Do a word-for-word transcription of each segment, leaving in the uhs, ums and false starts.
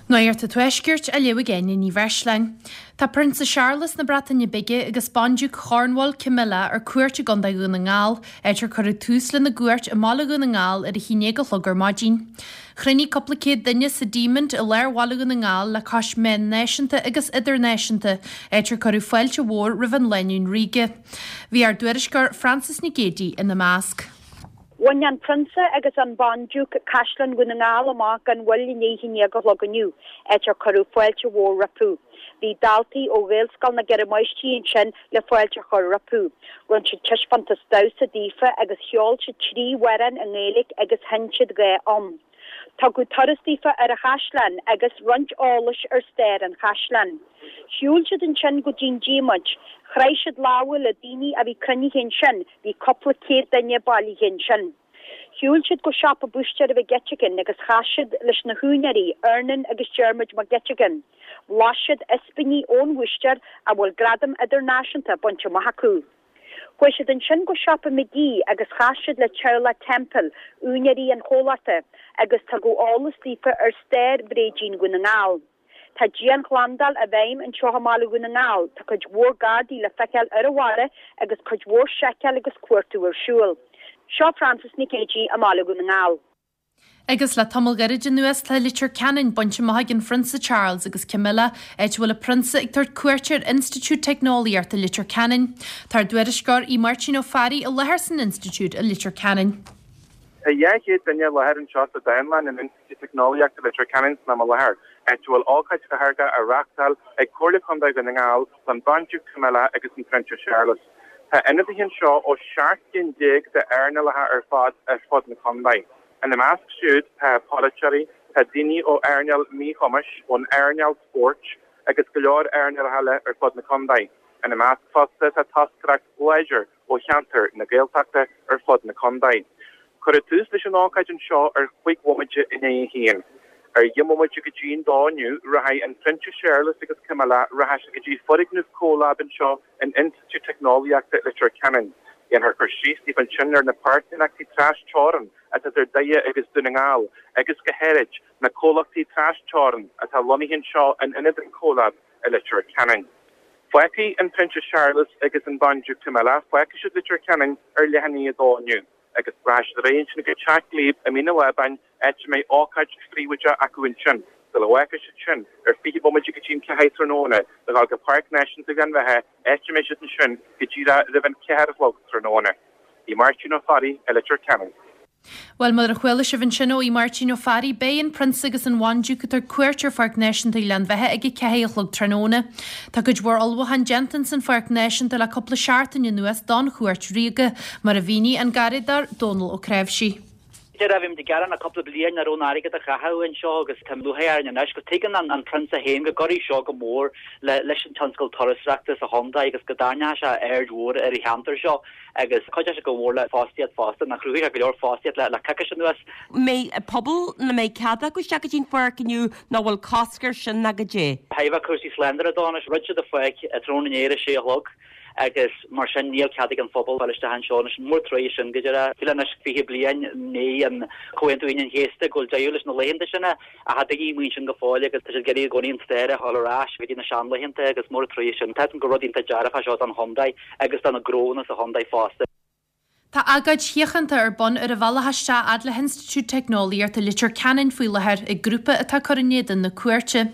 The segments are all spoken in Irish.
Nuacht an Tuaiscirt á léamh ag Áine Ní Bhreisleáin. Tá Prionsa Séarlas na Breataine Bige agus Bandiúc Chornwall Camilla ar cuairt i gContae Dhún na nGall, áit ar cuireadh tús lena gcuairt i mbaile Dhún na nGall ar a haon déag a chlog ar maidin. Chruinnigh cúpla céad duine sa Diamond i lár bhaile Dhún na nGall le cois meán náisiúnta agus idirnáisiúnta, áit ar cuireadh fáilte mhór roimh an lánúin ríoga. Bhí ár dtuairisceoir Frances Nic Géadaigh ina measc. Bhain an Prionsa agus an Bandiúc Caisleán Dhún na nGall amach gan mhoill i ndiaidh a haon déag a chlog inniu, áit ar cuireadh fáilte mhór rompu. Bhí daltaí ó Ghaelscoil na gCeithre Máistrí ansin le fáilte a chur rompu. Rinne siad taispeántas damhsa daofa agus cheol siad trí amhrán i nGaeilge agus sheinn siad dhá fhonn. Tugadh turas daofa ar an chaisleán agus roinnt eolais ar stair an chaisleáin. Shiúil siad ansin go dtí an Diamond, chroith siad lámha le daoine a bhí cruinnithe ansin, bhí cúpla céad duine bailithe ansin. Shiúil siad go siopa búistéara Mhic Eiteagáin agus chas siad leis na húinéirí, Ernan agus Diarmuid Mac Eiteagáin. Bhlais siad ispíní ón bhúistéir a bhfuil gradam idirnáisiúnta bainte amach acu. Chuaigh siad ansin go siopa McGee agus chas siad le teaghlach Temple, úinéirí an chomhlachta, agus tugadh eolas daofa ar stair bhréidín Dhún na nGall. Tá dianshlándáil i bhfeidhm anseo i mbaile Dhún na nGall, tá cuid mhór Gardaí le feiceáil ar an bhaile agus cuid mhór seiceáil agus cuartú ar siúl. Seo Frances Nic Géadaigh i mbaile Dhún na nGall. Agus le tamall gairid anuas tá Leitir Ceanainn bainte amach ag an Phrionsa Charles agus Camilla, áit a bhfuil an Prionsa ag tabhairt cuairte ar Institiúid Teicneolaíochta Leitir Ceanainn. Tá ár dtuairisceoir Aodh Máirtín Ó Fearraigh i láthair san Institiúid i Leitir Ceanainn. Tá dhá chéad duine i láthair anseo sa Dánlann in Institiúid Teicneolaíochta Leitir Ceanainn san am i láthair, áit a bhfuil ócáid á reáchtáil ag Comhairle Contae Dhún na nGall don Bhandiúc Camilla agus an Prionsa Séarlas. Tá ionadaithe anseo ó seacht gcinn déag d'earnálacha ar fad ar fud na contae. Ina measc siúd tá polaiteoirí, tá daoine ó earnáil míchumais, ón earnáil spóirt agus go leor earnálacha eile ar fud na contae. Ina measc fosta tá toscaireacht láidir ó cheantar na Gaeltachta ar fud na contae. Cuireadh tús leis an ócáid anseo ar chúig bhomaite i ndiaidh a haon. Ar dheich mbomaite go dtí an dó inniu rachaidh an Prionsa Séarlas agus Camilla rachaidh siad go dtí foirgneamh CoLab anseo in Institiúid Teicneolaíochta Leitir Ceanainn. Déanfar cur síos daofa ansin ar na páirtnéireachtaí trasteorann atá idir Doire agus Dún na nGall agus go háirid na comhlachtaí trasteorann atá lonnaithe anseo in ionad an CoLab i Leitir Ceanainn. Fágfaidh an Prionsa Séarlas agus an Bandiúc Camilla fágfaidh siad Leitir Ceanainn ar leath i ndiaidh a dó inniu. agus rachaidh siad ar aghaidh ansin go Teach Glebe i Mín an Lábáin áit a mbeidh ócáid phríobháideach acu ansin, sula bhfágfaidh siad sin ar fiche bomaite go dtí an ceathair tráthnóna le dhul go Páirc Náisiúnta Ghleann Bheatha áit a mbeidh siad ansin go díreach roimh an ceathair a chlog tráthnóna. Aodh Máirtín Ó Fearraigh i Leitir Ceanainn. Bhuel mar a chuala sibh ansin ó Aodh Máirtín Ó Fearraigh, beidh an Prionsa agus an Bhandiúc ag tabhairt cuairt ar Pháirc Náisiúnta Ghleann Bheatha ag a ceathair a chlog tráthnóna. Tá cuid mhór ullmhúchán déanta san Pháirc Náisiúnta le cúpla seachtain anuas don chuairt ríoga, mar a mhínigh an Garradóir Dónal Ó Cnáimhsí. Bhí muid ag gearán le cúpla bliain nach raibh an airgead a chaitheamh anseo agus tá lúcháir orainn anois go tuigeann an an Prionsa féin go gcuirfidh seo go mór le leis an tionscal turasóireachta sa chontae agus go dtarraingeoidh sé aird mhór ar an cheantar seo agus cuideoidh sé go mór le fostaíocht fosta nach chruthaigh sé go leor fostaíocht le le coicís anuas. mbeidh pobal nó mbeidh cead acu isteach go dtí an pháirc inniu nó bhfuil cosc air sin nó goidé. Thaobh cúrsaí slándála de anois dhruid siad an pháirc tráthnóna inné ar a sé a chlog agus mar sin níl cead ag an phobal fáil isteach anseo anois mór trua é sin go deireadh fiú anois fiche bliain i ndiaidh an Comhaontú Aoine an Chéasta go bhfuil deireadh leis na laethanta sin ach tá daoine amuigh ansin go fóill agus tá siad ag iarraidh i gcónaí an stair a fháil ar ais go dtí na seanlaethanta agus mór trua é sin. Tá go rud iontach dearfach seo don chontae agus do na gnónna sa chontae fosta. Tá agóid shíochánta ar bun ar an bhealach isteach fhad le hInstitiúid Teicneolaíochta Leitir Ceanainn faoi láthair ag grúpa atá ag cur in éadan na cuairte.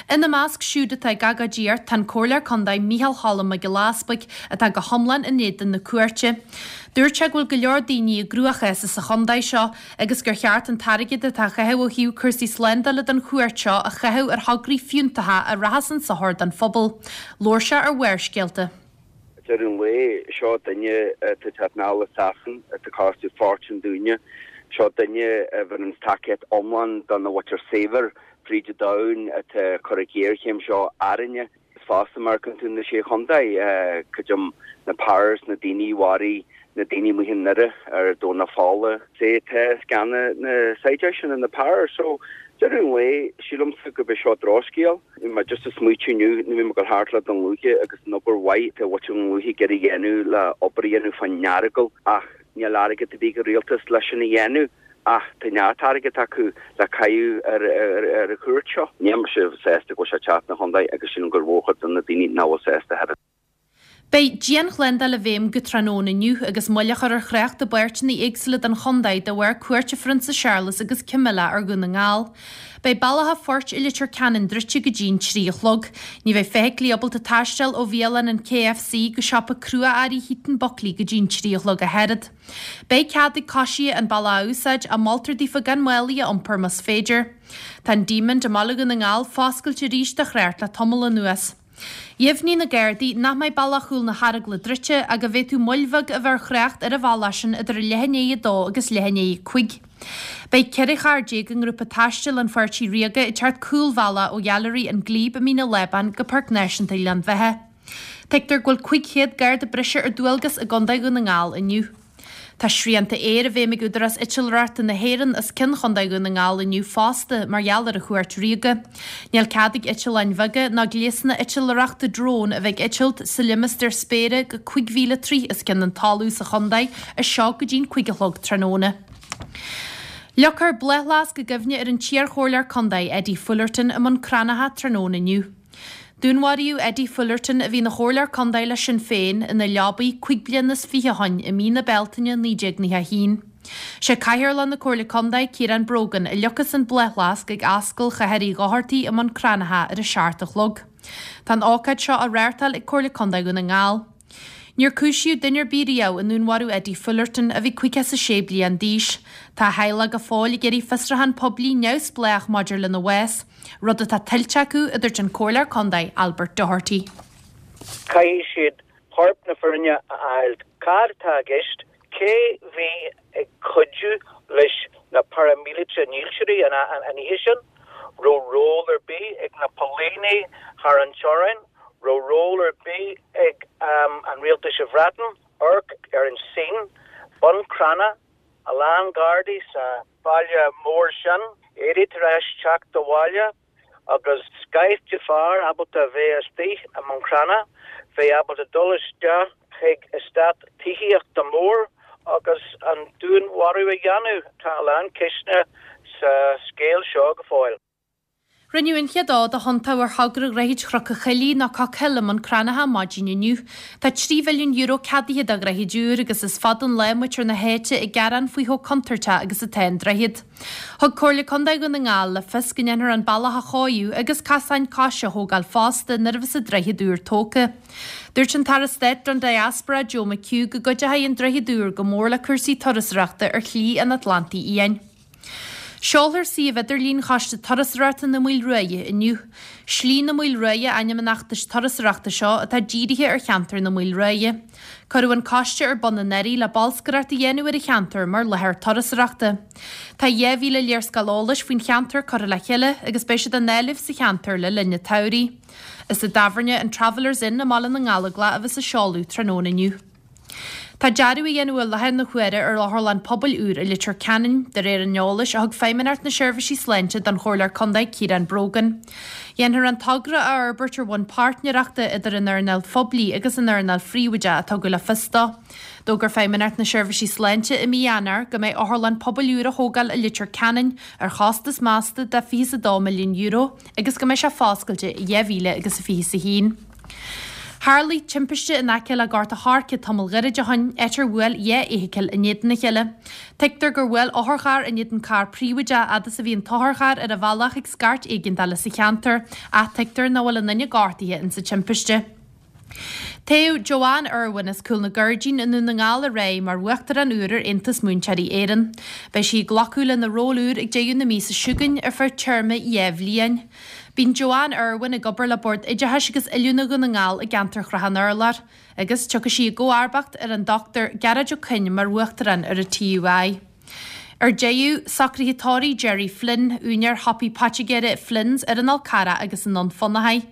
Ina measc siúd atá ag agóidíocht tá an Comhairleoir Contae Micheál Cholm Mac Giolla Easbuig atá go hiomlán in éadan na cuairte. Dúirt sé go bhfuil go leor daoine i gcruachás sa chontae seo agus gur cheart an t-airgead atá chaitheamh ó thaobh cúrsaí slándála don chuairt seo a chaitheamh ar thograí fiúntacha a rachas chun sochair don phobal. Labhair sé ar Bharrscéalta. Deireadh an lae seo duine atá teacht anall as Sasain atá costú fortún dúinne, seo duine a bheireann tacaíocht iomlán do na mhuintir saibhir fríd an domhan atá ag cur an ghéarchéim seo orainne. Is fosta mar tú na sé chontae creidim na powers na daoine mharaigh na daoine amuigh i nDoire ar Domhnach Fola. Sé tá scanna na saighdiúirí sin na powers so deireadh an lae sílimse go b'é seo drochscéal. Bhí mé just ag smaoitiú inniu nuair bhí mé ag dul thart le Dún Lúiche agus an obair mhaith atá mhuintir Dhún Lúiche ag iarraidh a dhéanamh le obair a dhéanamh fán Earagail ach níl airgead ar bith ag an rialtas leis sin a dhéanamh Ach tá neart airgead acu le caitheamh ar ar an chuairt seo. Níl mise sásta go bhfuil sé ag teacht 'na chontae agus sílim gur mhórchuid de na daoine nach bhfuil sásta thar Beidh dianshlándáil i bhfeidhm go tráthnóna inniu agus moill á chur ar thrácht i bpáirteanna éagsúla den chontae de bharr cuairt an Phrionsa Séarlas agus Camilla ar Dhún na nGall. Beidh Bealach a' Phoirt i Leitir Ceanainn druidte go dtí'n trí a chlog. Ní bheidh feithiclí ábalta taisteal ó bhialann an KFC go siopa crua-earraí Heaton Buckley go dtí'n trí a chlog a thairead. Beidh cead ag coisithe an bealach a úsáid ach moltar daofa gan málaí a iompar más féidir. Tá an Diamond i mBaile Dhún na nGall foscailte arís do thrácht le tamall anuas. Dheimhnigh na Gardaí nach mbeidh bealach chúl na hAragla druidte ach go bhféadfadh moill bheag a bheith ar thrácht ar an bhealach sin idir leath i ndiaidh a dó agus leath i ndiaidh a cúig. Beidh ceithre charr déag i ngrúpa taistil an Pháirtí Ríoga ag teacht cúlbhealach ó Ghailearaí an Glebe i Mín an Lábáin go Páirc Náisiúnta Ghleann Bheatha. Tuigtear go bhfuil cúig chéad garda breise ar dualgas i gContae Dhún na nGall inniu. Tá srianta aeir i bhfeidhm ag Údarás Eitleoireachta na hÉireann os cionn Chontae Dhún na nGall inniu fosta mar gheall ar an chuairt ríoga. Níl cead ag eitleáin bheaga ná gléasanna eitleoireachta drón a bheith ag eitilt sa limistéar spéire go cúig mhíle troigh os cionn an talaimh sa chontae as seo go dtí'n cúig a chlog tráthnóna. Leagfar bláthfhleasc i gcuimhne ar an t-iarchomhairleoir contae Eddie Fullerton i mBun Cranncha tráthnóna inniu. Dúnmharaíodh Eddie Fullerton, a bhí ina chomhairleoir contae le Sinn Féin, ina leabaidh cúig bliana is fiche ó shoin i mí na Bealtaine naoi déag nócha a haon. Sé Cathaoirleach na Comhairle Contae, Ciarán Brogan, a leagfas an bláthfhleasc ag Ascaill Chathair Uí Dhochartaigh i mBun Cranncha ar a seacht a chlog. Tá an ócáid seo á reáchtáil ag Comhairle Contae Dhún na nGall. Níor cúisíodh duine ar bith riamh i ndúnmharú Eddie Fullerton, a bhí caoga is a sé bliain d'aois. Tá a theaghlach go fóill ag iarraidh fiosrúchán poiblí neamhspleách maidir lena bhás, rud atá tuillte acu, a dúirt an Comhairleoir Contae Albert Doherty. Caithfidh siad corp na fírinne a fháil. Cad atá i gceist? Cé bhí ag cuidiú leis na paraimíleata dílseoirí an oíche sin? Raibh ról ar bith ag na póilíní thar an teorainn? Raibh ról ar bith ag an rialtas sa Bhreatain? Amharc ar an scene, Bun Cranncha, a lán Gardaí sa bhaile mór sin, Eddie tar éis teacht abhaile agus scaifte fear ábalta a bheith istigh i mBun Cranncha, bheith ábalta dul isteach chuig eastát tithíochta mór agus an dúnmharú a dhéanamh. Tá a lán ceisteanna sa scéal seo go fóill. Rinneadh an chéad fhód a thiontú ar thogra Dhroichead Chnoc an Choillidh nó Cockhill i mBun Cranncha maidin inniu. Tá trí mhilliún euro ceadaithe do dhroichead úr agus is fada an lá muintir na háite ag gearán faoi chomh contúirteach agus atá an droichead. Thug Comhairle Contae Dhún na nGall le fios go ndéanfar an bealach a chóiriú agus casáin coise a thógáil fosta nuair a bheas an droichead úr tógtha. Dúirt an tAire Stáit don Diaspora Joe McHugh go gcuideoidh an droichead úr go mór le cúrsaí turasóireachta ar Shlí an Atlantaigh Fhiáin. Seolfar suíomh idirlín Choiste Turasóireachta na Maoile Ruaidhe inniu. Slí na Maoile Ruaidhe ainm an fheachtais turasóireachta seo atá dírithe ar cheantar na Maoile Ruaidhe. Cuireadh an coiste ar bun anuraidh le bolscaireacht a dhéanamh ar an cheantar mar láthair turasóireachta. Tá dhá mhíle léarscáil eolais faoin cheantar curtha le chéile agus beidh siad á ndáileadh sa cheantar le linn an tsamhraidh. Is i dtábhairne an Travellers Inn i mBaile na nGallóglach a bheas an seoladh tráthnóna inniu. Tá dearadh á dhéanamh i láthair na huaire ar otharlann pobail úr i Leitir Ceanainn, de réir an eolais a thug Feidhmeannacht na Seirbhísí Sláinte don Chomhairleoir Contae Ciarán Brogan. Dhéanfar an togra a fhorbairt ar bhonn páirtnéireachta idir an earnáil phoiblí agus an earnáil phríobháideach, a tugadh le fios dó. D'fhógair Feidhmeannacht na Seirbhísí Sláinte i mí Eanáir go mbeidh otharlann pobail úr á thógáil i Leitir Ceanainn ar chostas measta de fiche is a dó milliún euro agus go mbeidh sé foscailte i dhá mhíle agus a fiche is a haon. Tharlaigh timpiste in aice le Gort a' Choirce tamall gairid ó shoin, áit ar bhuail dhá fheithicil in éadan a chéile. Tuigtear gur bhuail otharcharr in éadan carr príobháideach fhad is a bhí an t-otharcharr ar a bhealach chuig scairt éigeandála sa cheantar, ach tuigtear nach bhfuil aon duine gortaithe insa timpiste. Toghadh Joanne Irwin as Cúl na Gairdín i nDún na nGall aréir mar Uachtarán úr ar Aontas Múinteoirí Éireann. Beidh sí ag glacadh lena ról úr ag deireadh na míosa seo chugainn ar feadh téarma dhá bhliain. Bíonn Joanne Irwin ag obair le Bord Oideachais agus Oiliúna Dhún na nGall i gceantar Shrath an Urláir agus tiocfaidh sí i gcomharbacht ar an Dochtúir Gearóid Ó Coinn mar Uachtarán ar an TUI. Ar deireadh, socruithe tórraimh Gerry Flynn, úinéir shiopaí poitigéara Flynn's ar an Fhál Carrach agus i nDún Fionnachaidh.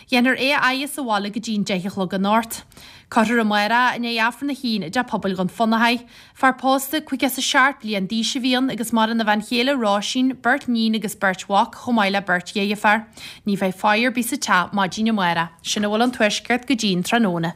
Dhéanfar é a fhaire sa bhaile go dtí'n deich a chlog anocht. Cuirfear amárach i ndiaidh Aifreann a haon i dTeach Pobail Dhún Fionnachaidh. Fear pósta caoga is a seacht bliain d'aois a bhí ann agus maireann a bhean chéile Róisín, beirt níon agus beirt mhac, chomh maith le beirt dheirféar. Ní bheidh faire ar bith sa teach maidin amárach. Sin a bhfuil ón Tuaisceart go dtí'n tráthnóna.